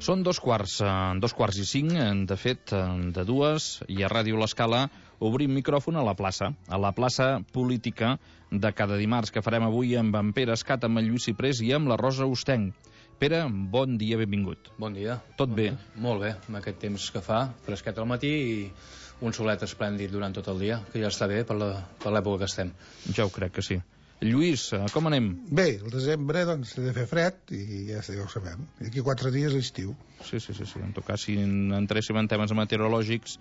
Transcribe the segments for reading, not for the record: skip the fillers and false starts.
Són dos quarts i cinc, de fet, de dues, i a Ràdio L'Escala obrim micròfon a la plaça política de cada dimarts, que farem avui amb en Pere Escat, amb en Lluís Ciprés i amb la Rosa Ostenc. Pere, bon dia, benvingut. Bon dia. Tot bé? Molt bé, amb aquest temps que fa, fresquet al matí i un solet esplèndid durant tot el dia, que ja està bé per l'època que estem. Ja ho crec que sí. Lluís, com anem? Bé, el desembre doncs ha de fer fred i ja ho sabem. D'aquí 4 dies l'estiu. Sí. En tot cas, si entréssim en temes meteorològics,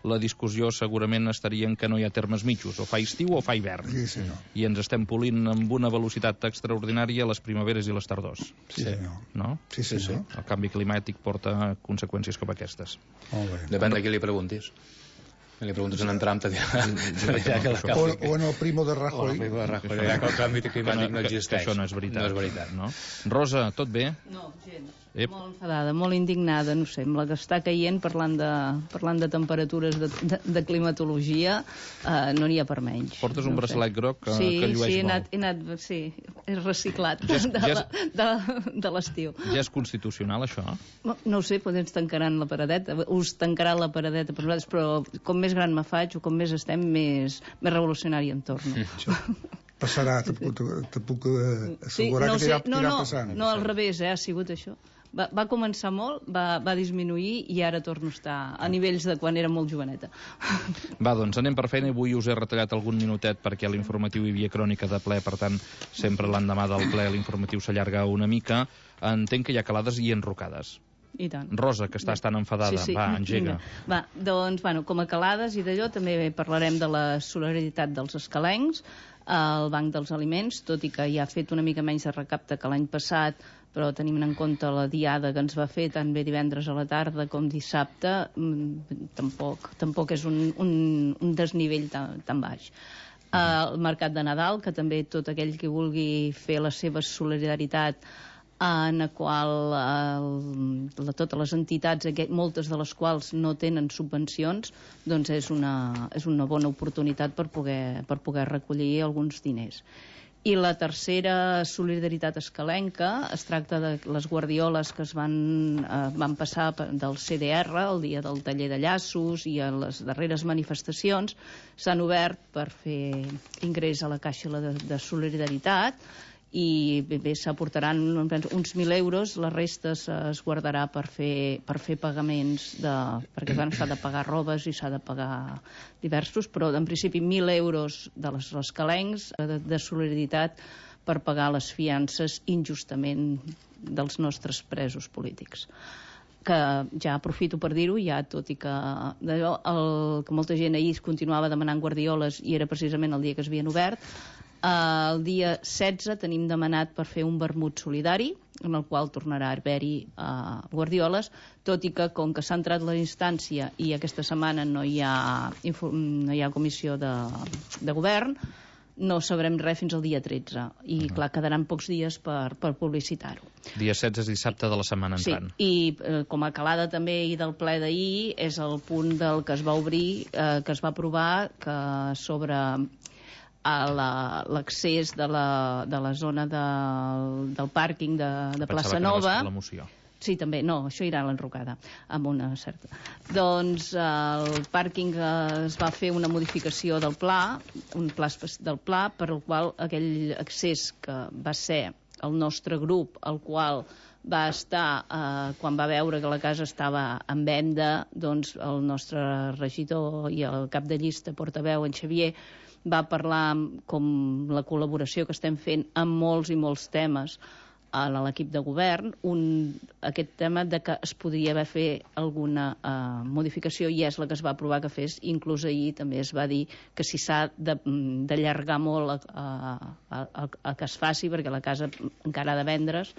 la discussió segurament estaria en que no hi ha termes mitjos, o fa estiu o fa hivern. Sí, senyor. I ens estem polint amb una velocitat extraordinària les primaveres i les tardors. Sí, senyor. No? Sí, senyor. El canvi climàtic porta conseqüències com aquestes. Molt bé. Depèn de qui li preguntis. Si li preguntes en Trump, te dirà o en el primo de Rajoy. Ja que el canvi climàtic no existeix. Això no és veritat. No és veritat. No? Rosa, tot bé? No, gens. Molt enfadada, molt indignada, no sé, amb la que està caient parlant de temperatures de climatologia, no n'hi ha per menys. Portes un braçalet groc que llueix molt. Sí, és reciclat de l'estiu. Ja és constitucional, això? No ho sé, potser ens tancaran la paradeta, us tancarà la paradeta per nosaltres, però com més gran me faig o com més estem, més revolucionari em torno. Passarà, te puc assegurar que t'irà passant. No, al revés, ha sigut això. Va començar molt, va disminuir i ara torno a estar a nivells de quan era molt joveneta. Va, doncs anem per feina. Avui us he retallat algun minutet perquè a l'informatiu hi havia crònica de ple, per tant, sempre l'endemà del ple l'informatiu s'allarga una mica. Entenc que hi ha calades i enrocades. I tant. Rosa, que estàs tan enfadada, sí. Va, engega. Va, doncs, com a calades i d'allò, també parlarem de la solidaritat dels escalencs, el Banc dels Aliments, tot i que ja ha fet una mica menys de recapte que l'any passat, però tenim en compte la diada que ens va fer tant bé divendres a la tarda com dissabte, tampoc és un desnivell tan baix. El mercat de Nadal, que també tot aquell que vulgui fer la seva solidaritat, en la qual totes les entitats, moltes de les quals no tenen subvencions, doncs és una bona oportunitat per poder recollir alguns diners. I la tercera solidaritat escalenca es tracta de les guardioles que es van passar del CDR el dia del taller de llaços i a les darreres manifestacions s'han obert per fer ingrés a la caixa de solidaritat i bé, s'aportaran uns 1.000 euros, la resta es guardarà per fer pagaments perquè s'ha de pagar robes i s'ha de pagar diversos, però en principi 1.000 euros de les escalencs de solidaritat per pagar les fiances injustament dels nostres presos polítics. Que ja aprofito per dir-ho, tot i que que molta gent ahir continuava demanant guardioles i era precisament el dia que es havien obert. El dia 16 tenim demanat per fer un vermut solidari, en el qual tornarà a haver-hi guardioles, tot i que com que s'ha entrat la instància i aquesta setmana no hi ha comissió de govern, no sabrem res fins al dia 13 i clar, quedaran pocs dies per publicitar-ho. Dia 16 és dissabte de la setmana entrant. Sí, i com a calada també i del ple d'ahir és el punt del que es va obrir, que es va aprovar que sobre l'accés de la zona del pàrquing de Plaça Nova. La moció. Sí, també. No, això irà a l'enrocada, amb una certa. Doncs el pàrquing es va fer una modificació del pla, per el qual aquell accés que va ser el nostre grup, el qual va estar, quan va veure que la casa estava en venda, doncs el nostre regidor i el cap de llista, portaveu, en Xavier, va parlar com la col·laboració que estem fent amb molts i molts temes a l'equip de govern, aquest tema de que es podria haver fet alguna modificació i és la que es va aprovar que fes, inclús ahir també es va dir que si s'ha d'allargar molt a que es faci, perquè la casa encara ha de vendre's,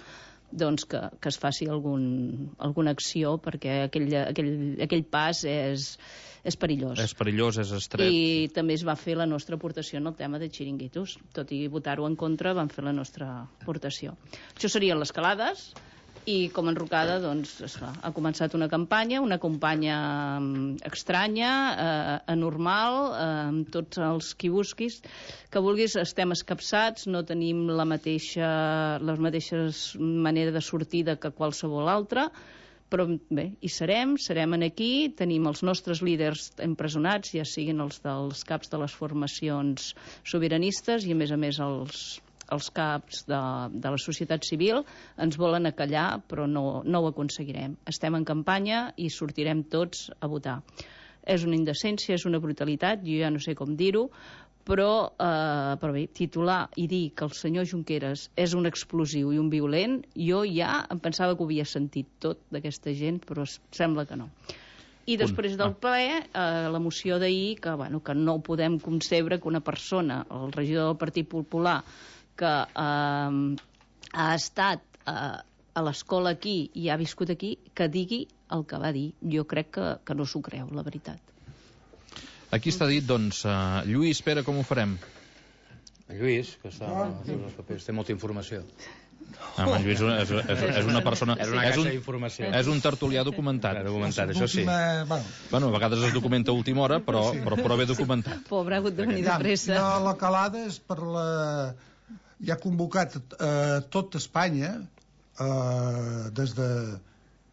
doncs que es faci alguna acció, perquè aquell pas és perillós. És perillós, és estret. I també es va fer la nostra aportació en el tema de xiringuitos. Tot i votar-ho en contra, vam fer la nostra aportació. Això serien les calades. I com a enrocada, doncs, ha començat una campanya estranya, anormal, amb tots els qui busquis, que vulguis, estem escapçats, no tenim les mateixes manera de sortida que qualsevol altra, Però bé, hi serem aquí, tenim els nostres líders empresonats, ja siguin els dels caps de les formacions sobiranistes i a més els caps de la societat civil ens volen acallar, però no ho aconseguirem. Estem en campanya i sortirem tots a votar. És una indecència, és una brutalitat, jo ja no sé com dir-ho, però bé, titular i dir que el senyor Junqueras és un explosiu i un violent, jo ja em pensava que ho havia sentit tot d'aquesta gent, però sembla que no. I després del ple, la moció d'ahir, que no ho podem concebre que una persona, el regidor del Partit Popular, que ha estat a l'escola aquí i ha viscut aquí, que digui el que va dir. Jo crec que no s'ho creu, la veritat. Aquí està dit, doncs, Lluís, Pere, com ho farem? En Lluís, que està als seus papers, té molta informació. En Lluís és una persona... És una caixa d'informació. És un tertulià documentat. Documentat, això sí. Bueno, a vegades es documenta a última hora, però bé documentat. Pobre, ha hagut de venir de pressa. La calada és per la... Ja ha convocat tot Espanya,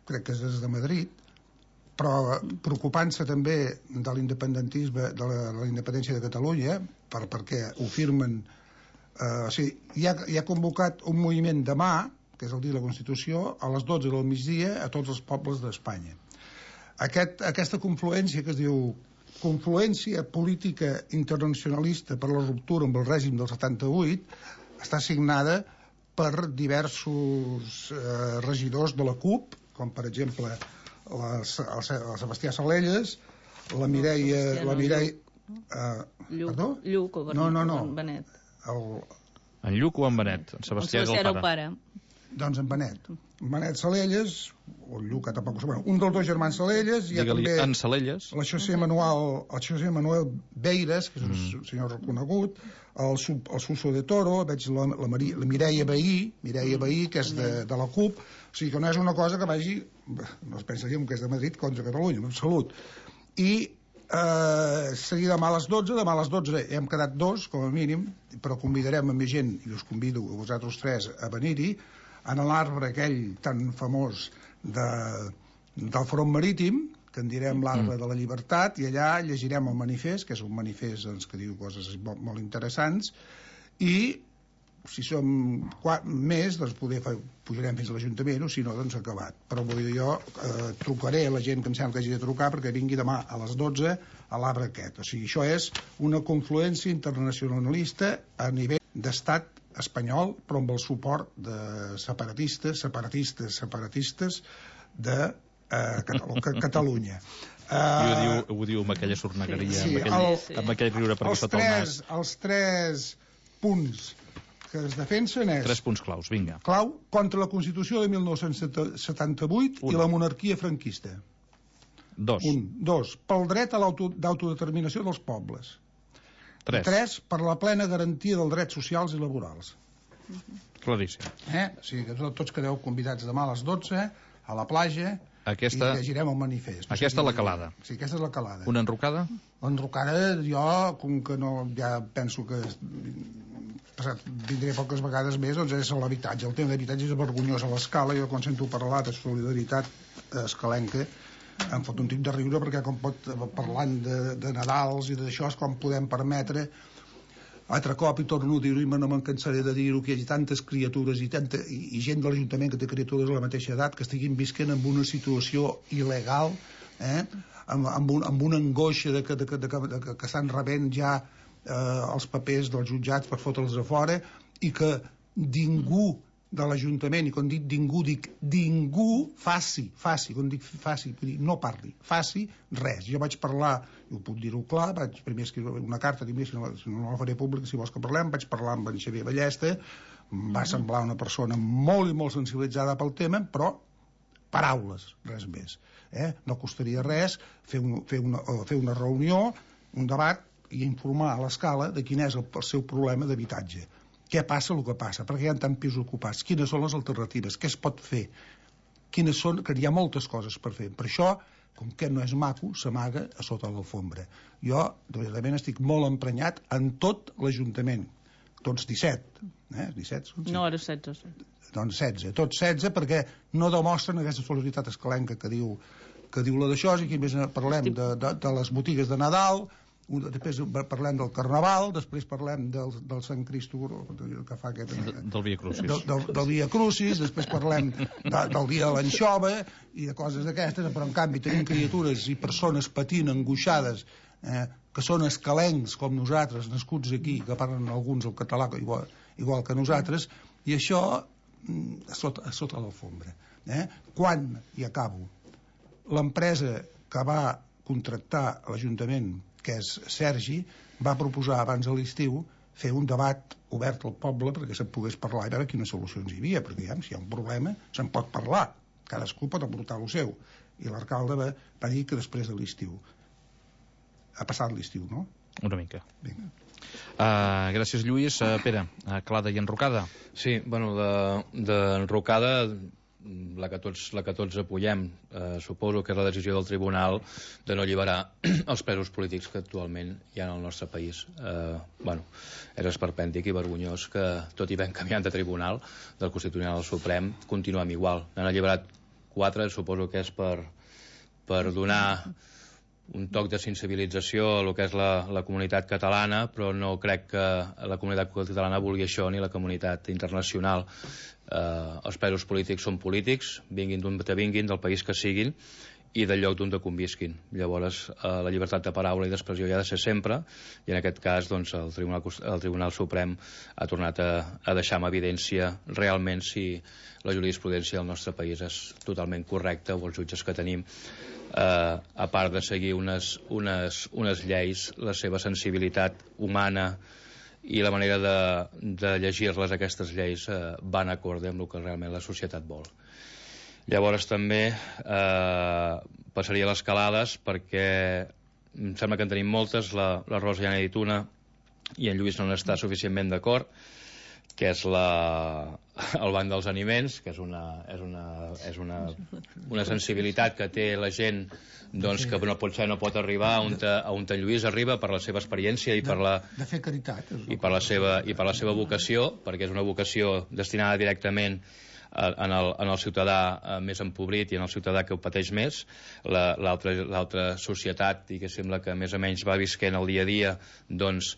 crec que és des de Madrid, però preocupant-se també de l'independentisme, de la independència de Catalunya, perquè ho firmen... ja ha convocat un moviment demà, que és el dia de la Constitució, a les 12 del migdia a tots els pobles d'Espanya. Aquesta confluència que es diu confluència política internacionalista per la ruptura amb el règim del 78 està signada per diversos regidors de la CUP, com per exemple el Sebastià Salelles, la Mireia... Lluc o Benet? En Lluc o en Benet? En Sebastià és el pare. Doncs en Benet. Benet Salelles, o el Lluc, tampoc ho sé, un dels dos germans Salelles, hi ha també en Salelles, el José Manuel Beiras, que és un senyor reconegut, el Suso de Toro, veig la Mireia Bahí, que és de la CUP, o sigui que no és una cosa que vagi, no es pensaríem que és de Madrid contra Catalunya, en absolut. I seguir demà a les 12 hem quedat 2 com a mínim, però convidarem a més gent i us convido a vosaltres 3 a venir-hi en l'arbre aquell tan famós del front marítim, que en direm l'arbre de la llibertat, i allà llegirem el manifest, que és un manifest que diu coses molt interessants, i si som més, doncs pujarem fins a l'Ajuntament, o si no, doncs acabat. Però jo trucaré a la gent que em sembla que hagi de trucar perquè vingui demà a les 12 a l'arbre aquest. O sigui, això és una confluència internacionalista a nivell d'estat espanyol, però amb el suport de separatistes de Catalunya. Ho diu amb aquella sornegueria, amb aquell riure perquè sota el nas. Els 3 punts que es defensen és... 3 punts claus, vinga. Clau, contra la Constitució de 1978 i la monarquia franquista. 2, pel dret a d'autodeterminació dels pobles. 3, per la plena garantia dels drets socials i laborals. Claríssim. O sigui que tots quedeu convidats demà a les 12 a la platja i llegirem el manifest. Aquesta és la calada. Sí, aquesta és la calada. Una enrocada? L'enrocada, jo, com que no, ja penso que vindré poques vegades més, doncs és l'habitatge. El tema d'habitatge és vergonyós a l'Escala. Jo quan sento parlar de solidaritat escalenca em fot un tip de riure, perquè com parlant de Nadals i d'això és com podem permetre altre cop, i torno a dir-ho i no me'n cansaré de dir-ho, que hi hagi tantes criatures i gent de l'Ajuntament que té criatures de la mateixa edat que estiguin visquent en una situació il·legal, amb una angoixa que estan rebent ja els papers dels jutjats per fotre'ls a fora, i que ningú de l'Ajuntament, i quan dic ningú faci, quan dic faci, no parli, faci res. Jo vaig parlar, i ho puc dir-ho clar, vaig primer escriure una carta, si no la faré pública, si vols que parlem, vaig parlar amb en Xavier Ballesta, va semblar una persona molt i molt sensibilitzada pel tema, però paraules, res més. No costaria res fer una reunió, un debat, i informar a l'Escala de quin és el seu problema d'habitatge. Què passa el que passa? Perquè hi ha tants pisos ocupats? Quines són les alternatives? Què es pot fer? Que hi ha moltes coses per fer. Per això, com que no és maco, s'amaga a sota l'alfombra. Jo, de veritat, estic molt emprenyat en tot l'Ajuntament. tots 17, 17 són? No, era 16. Doncs 16, tots 16, perquè no demostren aquesta solidaritat escalenca que diu la d'això, i aquí més parlem de les botigues de Nadal, després parlem del Carnaval, després parlem del Sant Cristo que fa aquest... Del Via Crucis. Del Via Crucis, després parlem del dia de l'anxova i de coses d'aquestes, però en canvi tenim criatures i persones patint, angoixades, que són escalencs com nosaltres, nascuts aquí, que parlen alguns el català igual que nosaltres, i això a sota l'alfombra. Quan, i acabo, l'empresa que va contractar l'Ajuntament, que és Sergi, va proposar abans de l'estiu fer un debat obert al poble perquè se'n pogués parlar i veure quines solucions hi havia, perquè si hi ha un problema se'n pot parlar, cadascú pot aportar el seu, i l'alcalde va dir que després de l'estiu. Ha passat l'estiu, no? Una mica. Vinga. Gràcies, Lluís. Pere, Clada i enrocada? Sí, bueno, d'enrocada, la que tots apoyem, suposo que és la decisió del tribunal de no alliberar els presos polítics que actualment hi ha al nostre país. És esperpèntic i vergonyós que, tot i ben canviant de tribunal, del Constitucional al Suprem, continuem igual. N'han alliberat 4, suposo que és per donar un toc de sensibilització a el que és la comunitat catalana, però no crec que la comunitat catalana vulgui això, ni la comunitat internacional. Els presos polítics són polítics, vinguin d'on te vinguin, del país que siguin, i del lloc d'on te convisquin. Llavors, la llibertat de paraula i d'expressió hi ha de ser sempre, i en aquest cas doncs, el Tribunal Suprem ha tornat a deixar en evidència realment si la jurisprudència del nostre país és totalment correcta, o els jutges que tenim, a part de seguir unes lleis, la seva sensibilitat humana i la manera de llegir-les, aquestes lleis, van acorde amb el que realment la societat vol. Llavors també passaria a les calades, perquè em sembla que en tenim moltes. La Rosa ja n'ha dit una i en Lluís no n'està suficientment d'acord, que és el banc dels aliments, que és una sensibilitat que té la gent, doncs, que no pot arribar on en Lluís arriba per la seva experiència i per de fer caritat i per la seva vocació, perquè és una vocació destinada directament en el ciutadà més empobrit i en el ciutadà que ho pateix més. L'altra societat, i que sembla que més o menys va visquent el dia a dia, doncs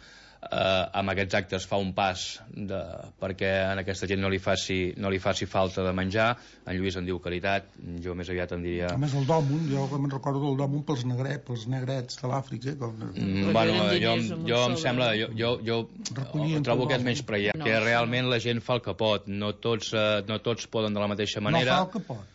amb aquests actes fa un pas perquè a aquesta gent no li faci falta de menjar. En Lluís en diu caritat, jo més aviat en diria... A més el dòmun, jo me'n recordo del dòmun pels negrets de l'Àfrica. Jo em sembla, jo trobo que és menys preia, que realment la gent fa el que pot, no tots poden de la mateixa manera. No fa el que pot.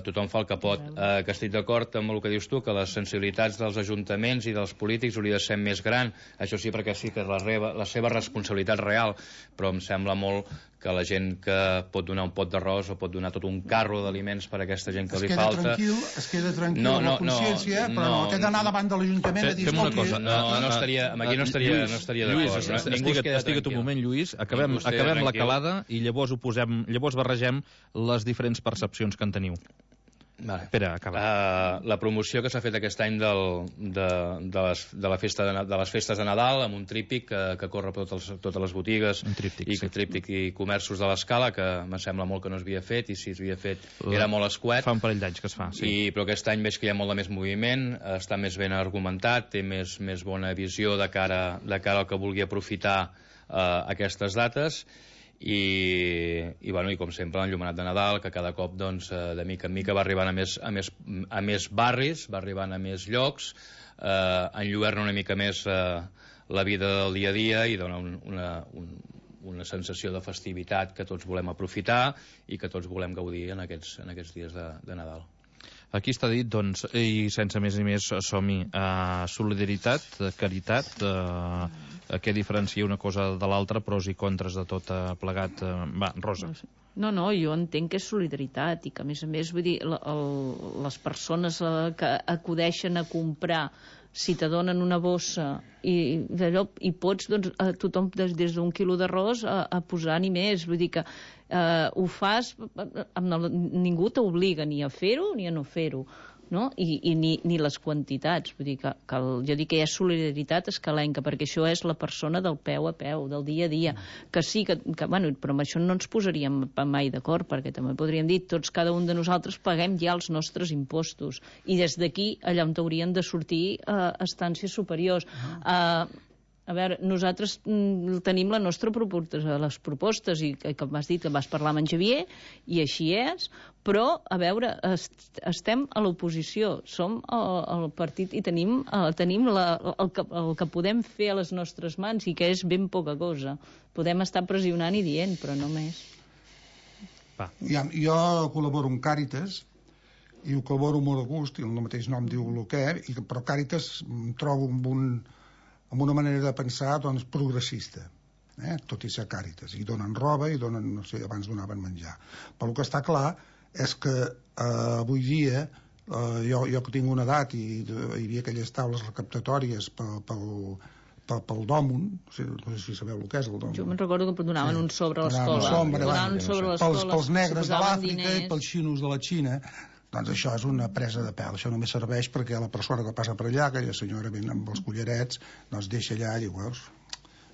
Tothom fa el que pot, que estic d'acord amb el que dius tu, que les sensibilitats dels ajuntaments i dels polítics hauria de ser més gran, això sí, perquè sí que és la seva responsabilitat real, però em sembla molt que la gent que pot donar un pot d'arròs o pot donar tot un carro d'aliments per a aquesta gent que li falta... Es queda tranquil amb la consciència, però no té d'anar davant de l'Ajuntament a dir... Fem una cosa, aquí no estaria d'acord. Estiga't un moment, Lluís, acabem la calada i llavors barregem les diferents percepcions que en teniu. Vale. Espera, acaba. La promoció que s'ha fet aquest any de les festes de Nadal, amb un tríptic que corre per totes les botigues, tríptic i comerços de l'Escala, que em sembla molt que no s'havia fet, i si s'havia fet era molt escuet. Fa un parell d'anys que es fa, sí. Però aquest any veig que hi ha molt de més moviment, està més ben argumentat, té més bona visió de cara al que vulgui aprofitar aquestes dates. I com sempre l'enllumenat de Nadal, que cada cop doncs, de mica en mica va arribant a més barris, va arribant a més llocs, enlluerna una mica més la vida del dia a dia i dona una sensació de festivitat que tots volem aprofitar i que tots volem gaudir en aquests dies de Nadal. Aquí està dit, doncs, i sense més ni més, som-hi. Solidaritat, caritat, què diferencia una cosa de l'altra, pros i contres de tot plegat. Va, Rosa. No, jo entenc que és solidaritat i que, a més, vull dir, les persones que acudeixen a comprar, si te donen una bossa i pots, doncs, tothom des d'un quilo d'arròs a posar ni més, vull dir que ho fas, ningú t'obliga ni a fer-ho ni a no fer-ho. no? I ni les quantitats. Vull dir que jo dic que hi ha solidaritat escalenca, perquè això és la persona del peu a peu, del dia a dia. Que sí, bueno, però amb això no ens posaríem mai d'acord, perquè també podríem dir tots, cada un de nosaltres paguem ja els nostres impostos, i des d'aquí allà on haurien de sortir estàncies superiors. A veure, nosaltres tenim la nostra les propostes, i com has dit, que vas parlar amb en Xavier, i així és, però, a veure, estem a l'oposició, som el partit i tenim el que podem fer a les nostres mans, i que és ben poca cosa. Podem estar pressionant i dient, però no més. Jo col·laboro amb Càritas, i ho col·laboro molt a gust, i el mateix nom diu el que és, però Càritas em trobo amb una manera de pensar progressista, tot i ser Càritas, i donen roba i donen, no sé, abans donaven menjar, però el que està clar és que avui dia jo que tinc una edat i hi havia aquelles taules recaptatòries pel Dòmun, no sé si sabeu el que és el Dòmun. Jo me'n recordo que donaven un sobre a l'escola, pels negres de l'Àfrica i pels xinos de la Xina. Doncs això és una presa de pèl, això només serveix perquè la persona que passa per allà, aquella senyora ben amb els collarets, doncs deixa allà i diu, veus,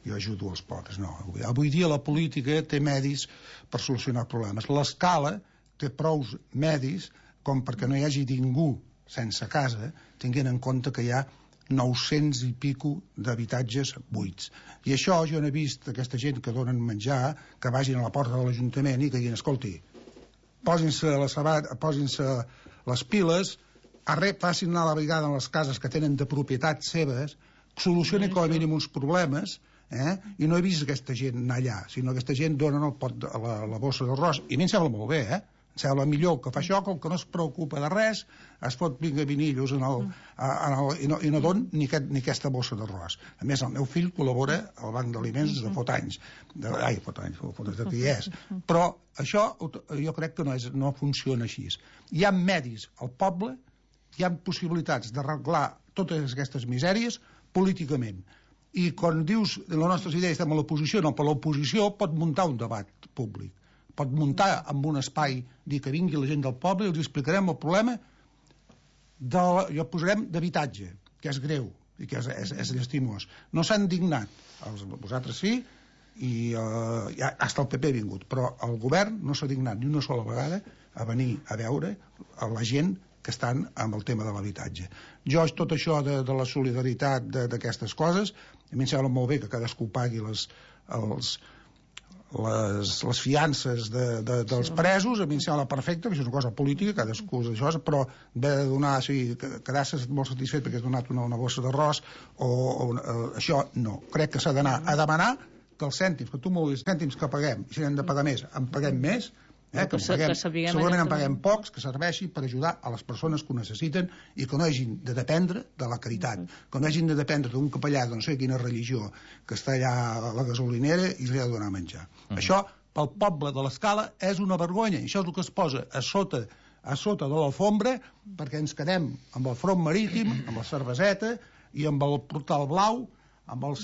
jo ajudo els pobres. No, avui dia la política té medis per solucionar problemes. L'escala té prous medis com perquè no hi hagi ningú sense casa, tinguent en compte que hi ha 900 i pico d'habitatges buits. I això jo n'he vist aquesta gent que donen menjar, que vagin a la porta de l'Ajuntament i que diguin, escolti, posin-se les piles, facin anar a la vegada en les cases que tenen de propietat seves, solucionin com a mínim uns problemes, i no he vist aquesta gent anar allà, sinó que aquesta gent donen el pot, la bossa d'arròs, i a mi em sembla molt bé, em sembla millor que fa això, com que no es preocupa de res, es pot vinga vinillos i no don ni aquesta bossa d'arròs. A més, el meu fill col·labora al Banc d'Aliments de fot anys, de dies, però això jo crec que no funciona així. Hi ha medis al poble, hi ha possibilitats d'arreglar totes aquestes misèries políticament, i quan dius les nostres idees estem a l'oposició, no, però l'oposició pot muntar un debat públic, pot muntar en un espai, dir que vingui la gent del poble i els explicarem el problema jo posarem d'habitatge, que és greu i que és llastimós. No s'han dignat, vosaltres sí, i hasta el PP ha vingut, però el govern no s'ha dignat ni una sola vegada a venir a veure a la gent que estan amb el tema de l'habitatge. Jo, tot això de la solidaritat d'aquestes coses, a mi em sembla molt bé que cadascú pagui les fiances dels presos, a mi em sembla perfecte, que això és una cosa política, cadascú és això, però haver de donar, quedar-se molt satisfet perquè has donat una bossa d'arròs, això no. Crec que s'ha d'anar a demanar que els cèntims, que tu m'ho dius, cèntims que paguem, i si n'hem de pagar més, en paguem més, segurament en paguem pocs, que serveixi per ajudar a les persones que ho necessiten i que no hagin de dependre de la caritat, que no hagin de dependre d'un capellà de no sé quina religió que està allà a la gasolinera i li ha de donar menjar. Això, pel poble de l'Escala, és una vergonya, i això és el que es posa a sota de l'alfombra perquè ens quedem amb el front marítim, amb la cerveseta i amb el portal blau, amb el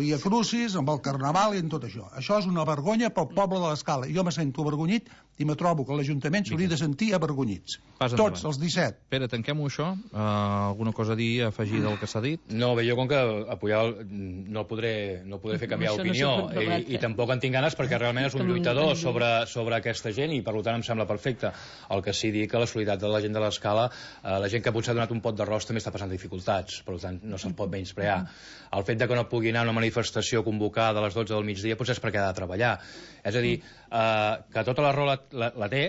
Via Crucis, amb el Carnaval i amb tot això. Això és una vergonya pel poble de l'Escala. Jo me sento avergonyit i me trobo que l'Ajuntament s'hauria de sentir avergonyits. Tots, els 17. Pere, tanquem-ho això. Alguna cosa a dir, a afegir del que s'ha dit? No, bé, jo com que apoyar no podré fer canviar d'opinió i tampoc en tinc ganes perquè realment és un lluitador sobre aquesta gent i per tant em sembla perfecte. El que sí dir que la solidaritat de la gent de l'Escala, la gent que potser ha donat un pot d'arròs també està passant dificultats, per tant no se'ls pot menysprear. El fet de que no pugui anar a una manifestació convocada a les 12 del migdia potser és perquè ha de treballar. És a dir, que tota la raó la té,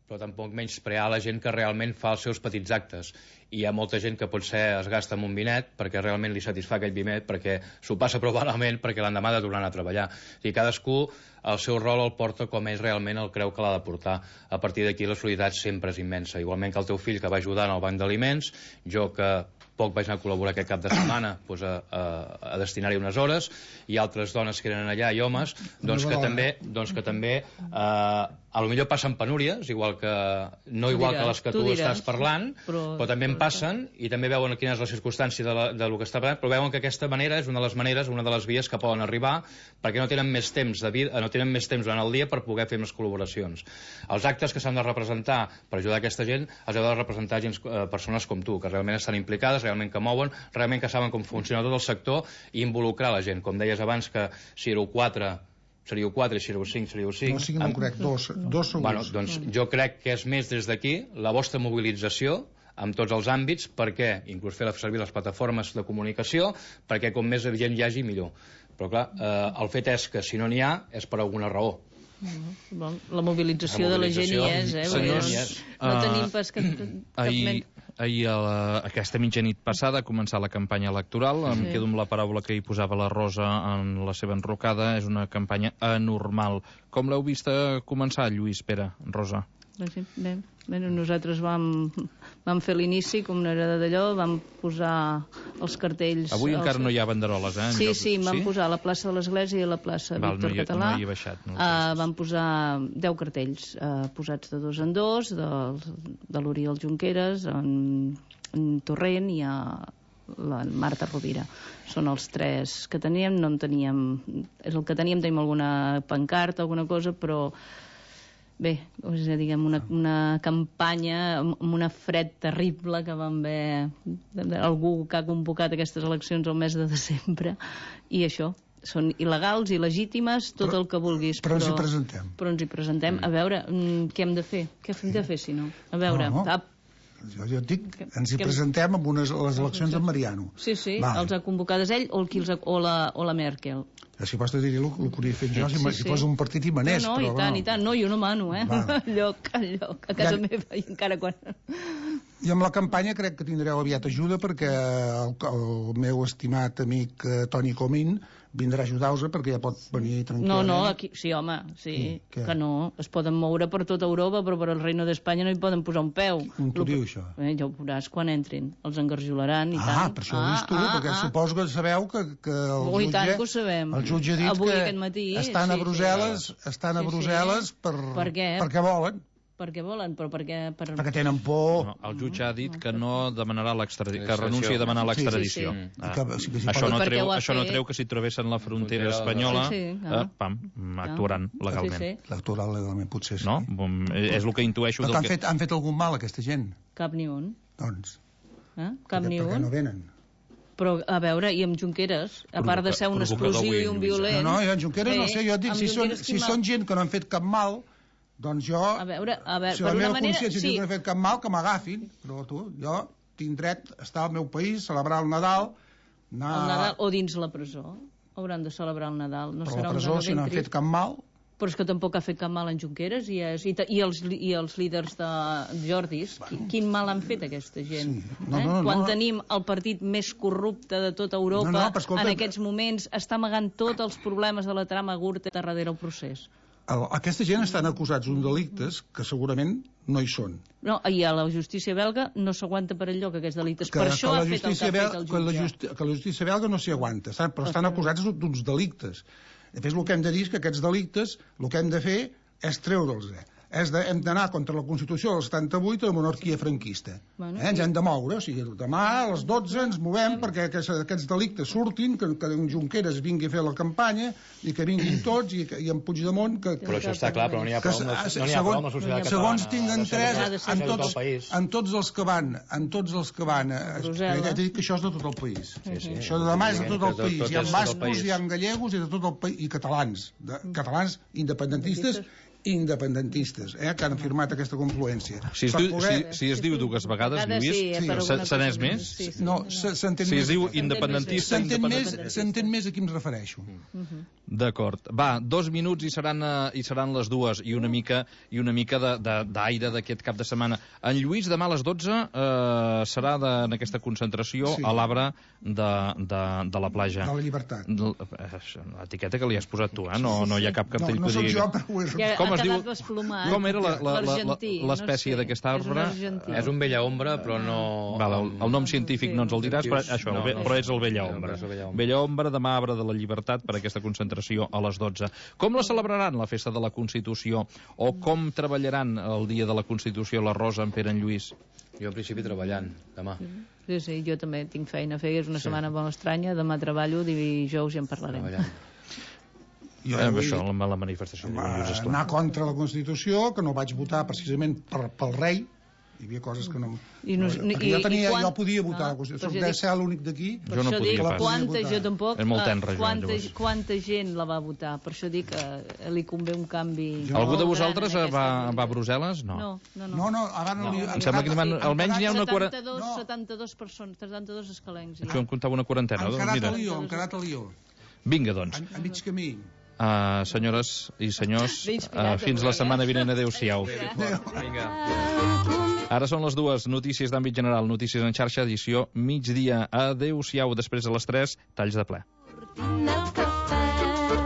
però tampoc menysprear la gent que realment fa els seus petits actes. I hi ha molta gent que potser es gasta amb un vinet perquè realment li satisfà aquell vinet, perquè s'ho passa prou malament perquè l'endemà ha de tornar a treballar. O sigui, cadascú el seu rol el porta com ell realment el creu que l'ha de portar. A partir d'aquí la solidaritat sempre és immensa. Igualment que el teu fill que va ajudar en el banc d'aliments, jo que poc vaig anar a col·laborar aquest cap de setmana a destinar-hi unes hores, i altres dones que eren allà i homes que també potser passen penúries, igual que les que tu estàs parlant, però també en passen i també veuen quina és la circumstància de lo que està parlant, però veuen que aquesta manera és una de les maneres, una de les vies que poden arribar, perquè no tenen més temps durant el dia per poder fer més col·laboracions. Els actes que s'han de representar per ajudar aquesta gent els heu de representar persones com tu, que realment estan implicades, realment que mouen, realment que saben com funciona tot el sector i involucrar la gent. Com deies abans, que si éreu 4 seríeu 4 i si éreu 5 seríeu 5. No, 5 no crec, 2 segurs. Bueno, doncs jo crec que és més des d'aquí la vostra mobilització en tots els àmbits, perquè inclús fer servir les plataformes de comunicació, perquè com més gent hi hagi, millor. Però clar, el fet és que si no n'hi ha és per alguna raó. La mobilització de la gent hi és, senyors, no tenim pas cap ahir, aquesta mitjanit passada, ha començat la campanya electoral. Em quedo amb la paraula que hi posava la Rosa en la seva enrocada. És una campanya anormal. Com l'heu vist començar, Lluís, Pere, Rosa? Bé, nosaltres vam fer l'inici, com no era d'allò, vam posar els cartells... Avui encara no hi ha banderoles, eh? Sí, vam posar a la plaça de l'Església i a la plaça Víctor Català. No hi he baixat. Vam posar 10 cartells posats de 2 en 2, de l'Oriol Junqueras, en Torrent i a la Marta Rovira. Són els 3 que teníem, no en teníem... És el que teníem alguna pancarta, alguna cosa, però... Bé, diguem, una campanya amb una fred terrible que vam haver algú que ha convocat aquestes eleccions al mes de desembre, i això, són il·legals, il·legítimes, tot el que vulguis. Però ens hi presentem. Però ens hi presentem. A veure, què hem de fer? Què hem de fer, si no? A veure... Jo et dic, ens hi presentem amb les eleccions en Mariano. Sí, els ha convocades ell o la Merkel. Si pots dir-li el que hauria fet jo, si fos un partit i manés. No, i tant, no, jo no mano, enlloc, a casa meva, i encara quan... I amb la campanya crec que tindreu aviat ajuda, perquè el meu estimat amic Toni Comín vindrà a ajudar-vos, perquè ja pot venir tranquil·lament. No, aquí, sí, home, que no. Es poden moure per tota Europa, però per al Reino d'Espanya no hi poden posar un peu. T'ho diu, això? Ja ho veuràs quan entrin. Els engarjolaran i tant. Per això ho dius tu, perquè suposo que sabeu que el jutge ha dit que estan a Brussel·les perquè volen. Perquè volen, però perquè tenen por. El jutge ha dit que no demanarà que renuncia a demanar l'extradició. Això no treu que si travessen la frontera espanyola actuaran legalment. L'actuaran legalment, potser sí. No? És el que intueixo. Han fet algun mal, aquesta gent? Cap ni un. Doncs, cap ni un. perquè no venen. Però, a veure, i amb Junqueras, a part de ser un explosiu i un violent... No, i amb Junqueras no sé, jo et dic, si són gent que no han fet cap mal... Doncs jo, si la meva consciència diu que no he fet cap mal, que m'agafin, però jo tinc dret a estar al meu país, celebrar el Nadal... El Nadal o dins la presó. Hauran de celebrar el Nadal. Però la presó, si no han fet cap mal... Però és que tampoc ha fet cap mal en Junqueras i els líders de Jordis. Quin mal han fet aquesta gent? Quan tenim el partit més corrupte de tota Europa, en aquests moments està amagant tots els problemes de la trama Gürtel darrere el procés. Aquesta gent estan acusats d'un delictes que segurament no hi són. No, i a la justícia belga no s'aguanta per enlloc aquests delictes. Per això ha fet el que ha fet el jutge. Que la justícia belga no s'hi aguanta, però estan acusats d'uns delictes. Després el que hem de dir és que aquests delictes el que hem de fer és treure'ls. Hem d'anar contra la Constitució del 78 de la monarquia franquista. Ens hem de moure, o sigui, demà a les 12 ens movem perquè aquests delictes surtin, que en Junqueras vingui a fer la campanya i que vinguin tots, i en Puigdemont... Però això està clar, però no n'hi ha prou amb la societat catalana. Segons tinc entès, en tots els que van he dit que això és de tot el país. Això de demà és de tot el país. Hi ha bascos, hi ha gallegos i de tot el país, i catalans independentistes que han firmat aquesta confluència. Si es diu dues vegades, Lluís, se n'és més? No, s'entén més. Si es diu independentista... S'entén més a qui em refereixo. D'acord. Va, 2 minuts i seran les 2, i una mica d'aire d'aquest cap de setmana. En Lluís, demà a les 12 serà en aquesta concentració a l'Arbre de la platja. De la Llibertat. L'etiqueta que li has posat tu, no hi ha cap cartell que digui... No soc jo, però ho he Com es diu? quedat desplomat. Com era L'argentí, l'espècie d'aquest arbre? És un vella ombra, però no... Val, el nom científic no ens el diràs, però, això, però és el vella ombra. Vella ombra, demà arbre de la llibertat per aquesta concentració a les 12. Com la celebraran, la festa de la Constitució? O com treballaran el dia de la Constitució la Rosa, en Pere, en Lluís? Jo en principi treballant, demà. Sí, jo també tinc feina a fer, és una setmana molt estranya, demà treballo, dijous ja en parlarem. Això, la manifestació. Anar contra la Constitució, que no vaig votar precisament pel rei. Hi havia coses que no... Jo podia votar la Constitució, de ser l'únic d'aquí. Jo no podia pas. Jo tampoc. És molt tenra, Quanta gent la va votar? Per això dic que li convé un canvi... Algú de vosaltres va a Brussel·les? No. No, ara no. Em sembla que almenys n'hi ha una 72 persones, 72 escalencs. Això em comptava una quarantena. Han quedat a Lió. Vinga, doncs. A mig camí. Senyores i senyors, fins la setmana vinent. Adéu-siau. Ara són les 2, notícies d'àmbit general, notícies en xarxa, edició migdia. Adéu-siau, després de les 3, talls de ple.